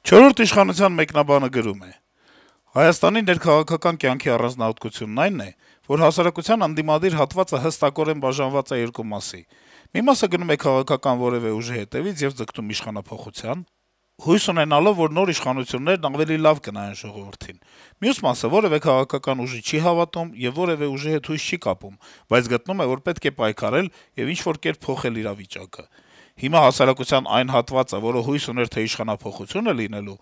Չորրորդ իշխանության մեկնաբանը գրում է. - «Հայաստանի ներքաղաքական կյանքի առանձնահատկությունն այն է, որ հասարակության ընդդիմադիր հատվածը հստակորեն բաժանված է երկու մասի. մի մասը գնում է քաղաքական որեւէ ուժի հետեւից եւ ձգտում իշխանափոխության, հույս ունենալով, որ նոր իշխանություններն ավելի լավ կնայեն ժողովրդին, մյուս մասը որեւէ քաղաքական ուժի չի հավատում եւ որեւէ ուժի հետ հույս չի կապում, բայց գտնում է, որ պետք է պայքարել եւ ինչ-որ կերպ փոխել իրավիճակը։ Հիմա հասարակության այն հատվածը, որը հույս ուներ, թե իշխանափոխություն է լինելու,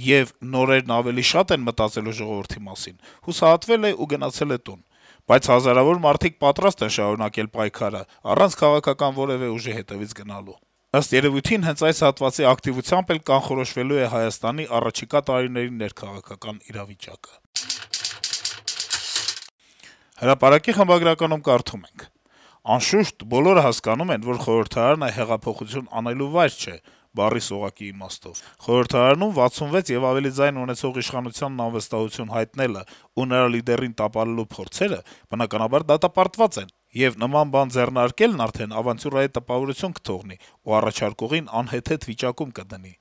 եւ նորերն ավելի շատ են մտածելու ժողովրդի մասին, հուսահատվել է ու գնացել է տուն, բայց հազարավոր մարդիկ պատրաստ են շարունակել պայքարը, առանց քաղաքական որեւէ ուժի հետեւից գնալու։ Ըստ երեւույթին, հենց այս հատվածի ակտիվությամբ էլ կանխորոշվելու է Հայաստանի առաջիկա տարիների ներքաղաքական իրավիճակը»։ Հրապարակի խմբագրականում կարդում ենք. - «Անշուշտ, բոլորը հասկանում են, որ խորհրդարանը հեղափոխություն անելու վայր չէ, բառի սողակի իմաստով։ Խորհրդարանում 66 եւ ավելի ձայն ունեցող իշխանությանն անվստահություն հայտնելը ու նրա լիդերին տապալելու փորձերը, բնականաբար, դատապարտված են, եւ նման բան ձեռնարկելն արդեն ավանտյուրայի տպավորություն կթողնի ու առաջարկողին անհեթեթ վիճակում կդնի։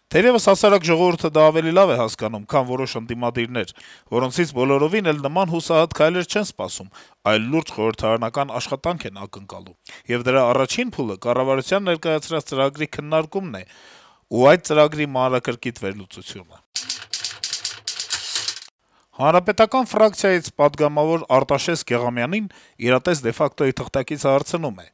Թերեւս հասարակ ժողովուրդը դա ավելի լավ է հասկանում, քան որոշ ընդդիմադիրներ, որոնցից բոլորովին էլ նման հուսահատ քայլեր չեն սպասում, այլ լուրջ խորհրդարանական աշխատանք են ակնկալում։ Եվ դրա առաջին փուլը կառավարության ներկայացրած ծրագրի քննարկումն է ու այդ ծրագրի մանրակրկիտ վերլուծությունը»։ Հանրապետական ֆրակցիայից պատգամավոր Արտաշես Գեղամյանին «Իրատես de facto»-ի թղթակիցը հարցնում է.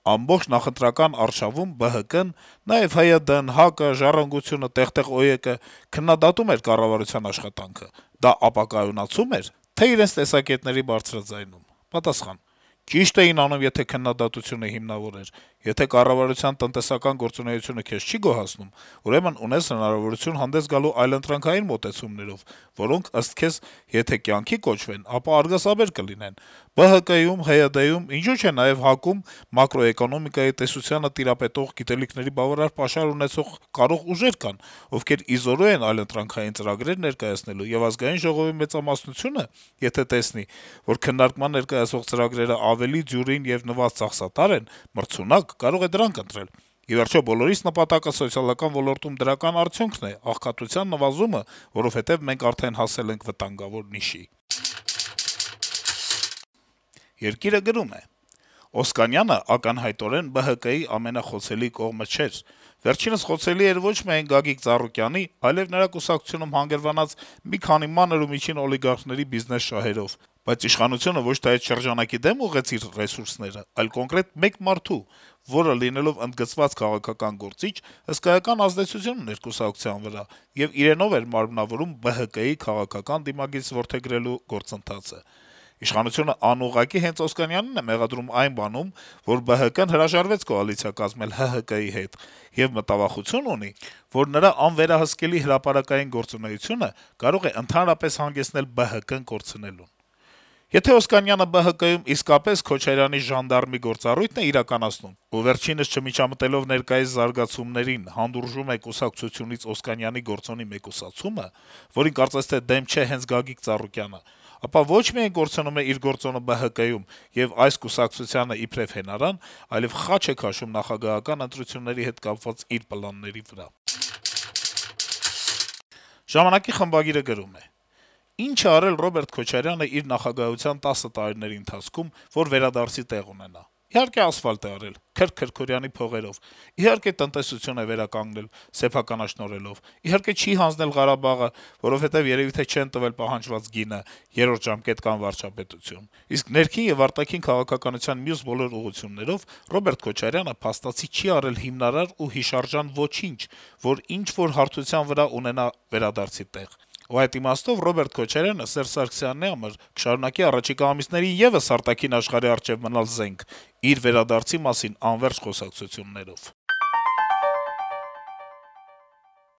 - «Ամբողջ նախընտրական արշավում ԲՀԿ-ն, նաեւ ՀՅԴ-ն, ՀԱԿ-ը, Ժառանգությունը, տեղ-տեղ ՕԵԿ-ը քննադատում էր կառավարության աշխատանքը: Դա ապակայունացու՞մ էր, թե իրենց տեսակետների բարձրաձայնում»: Պատասխան. - «Ճիշտ էին անում, եթե քննադատությունը հիմնավոր էր: Եթե կառավարության տնտեսական գործունեությունը քեզ չի գոհացնում, ուրեմն ունես հնարավորություն հանդես գալու այլընտրանքային մոտեցումներով, որոնք, ըստ քեզ, եթե կյանքի կոչվեն, ապա արգասաբեր կլինեն: ԲՀԿ-ում, ՀՅԴ-ում, ինչու՞ չէ նաեւ ՀԱԿ-ում մակրոէկոնոմիկայի տեսությանը տիրապետող, գիտելիքների բավարար պաշար ունեցող կարող ուժեր կան, ովքեր ի զորու են այլընտրանքային ծրագրեր ներկայացնելու, եւ Ազգային ժողովի մեծամասնությունը, եթե տեսնի, որ քննարկման ներկայացվող ծրագրերը ավելի դյուրին եւ նվազ ծախսատար են, մրցունակ, կարող է դրանք ընտրել: Ի վերջո, բոլորիս նպատակը սոցիալական ոլորտում դրական արդյունքն է, աղքատության նվազումը, որովհետեւ մենք արդեն հասել ենք վտանգավոր նիշի»: «Երկիր»-ը գրում է. - «Օսկանյանը ակնհայտորեն ԲՀԿ-ի ամենախոցելի կողմը չէր: Վերջինս խոցելի էր ոչ միայն Գագիկ Ծառուկյանի, այլեւ նրա կուսակցությունում հանգրվանած մի քանի մանր ու միջին օլիգարխների բիզնես շահերով: Բայց իշխանությունը ոչ թե այդ շրջանակի դեմ ուղղեց իր ռեսուրսները, այլ կոնկրետ մեկ մարդու, որը, լինելով ընդգծված քաղաքական գործիչ, հսկայական ազդեցություն ուներ կուսակցության վրա եւ իրենով էր մարմնավորում ԲՀԿ-ի քաղաքական դիմագիծ որդեգրելու գործընթացը: Իշխանությունը անուղղակի հենց Օսկանյանին է մեղադրում այն բանում, որ ԲՀԿ-ն հրաժարվեց կոալիցիա կազմել ՀՀԿ-ի հետ եւ մտավախություն ունի, որ նրա անվերահսկելի հրապարակային գործունեությունը կարող է ընդհանրապես հանգեցնել ԲՀԿ-ն կորցնելուն: Եթե Օսկանյանը ԲՀԿ-ում իսկապես Քոչարյանի ժանդարմի գործառույթն է իրականացնում ու վերջինս, չմիջամտելով ներկայիս զարգացումներին, հանդուրժում է կուսակցությունից Օսկանյանի գործոնի մեկուսացումը, որին կարծես թե դեմ չէ հենց Գագիկ Ծառուկյանը, ապա ոչ միայն կորցնում է իր գործոնը ԲՀԿ-ում եւ այս կուսակցությանը իբրեւ հենարան, այլեւ խաչ է քաշում նախագահական ընտրությունների հետ կապված իր պլանների վրա»: «Ժամանակ»-ի խմբագիրը գրում է. - «Ինչ է արել Ռոբերտ Քոչարյանը իր նախագահության 10 տարիների ընթացքում, որ վերադարձի տեղ ունենա: Իհարկե ասֆալտ է արել Քրք-Քրքորյանի փողերով, իհարկե տնտեսություն է վերականգնել սեփականաշնորհելով, իհարկե չի հանձնել Ղարաբաղը, որովհետեւ երեւի թե չեն տվել պահանջված գինը, երրորդ ժամկետ կամ վարչապետություն: Իսկ ներքին եւ արտաքին քաղաքականության մյուս բոլոր ուղղություններով Ռոբերտ Քոչարյանը փաստացի չի արել հիմնարար ու հիշարժան ոչինչ, որ ինչ-որ հարթության վրա ունենա վերադարձի տեղ: Ու այդ իմաստով Ռոբերտ Քոչարյանը Սերժ Սարգսյանի համար կշարունակի առաջիկա ամիսներին եւս արտաքին աշխարհի առջեւ մնալ զենք՝ իր վերադարձի մասին անվերջ խոսակցություններով»: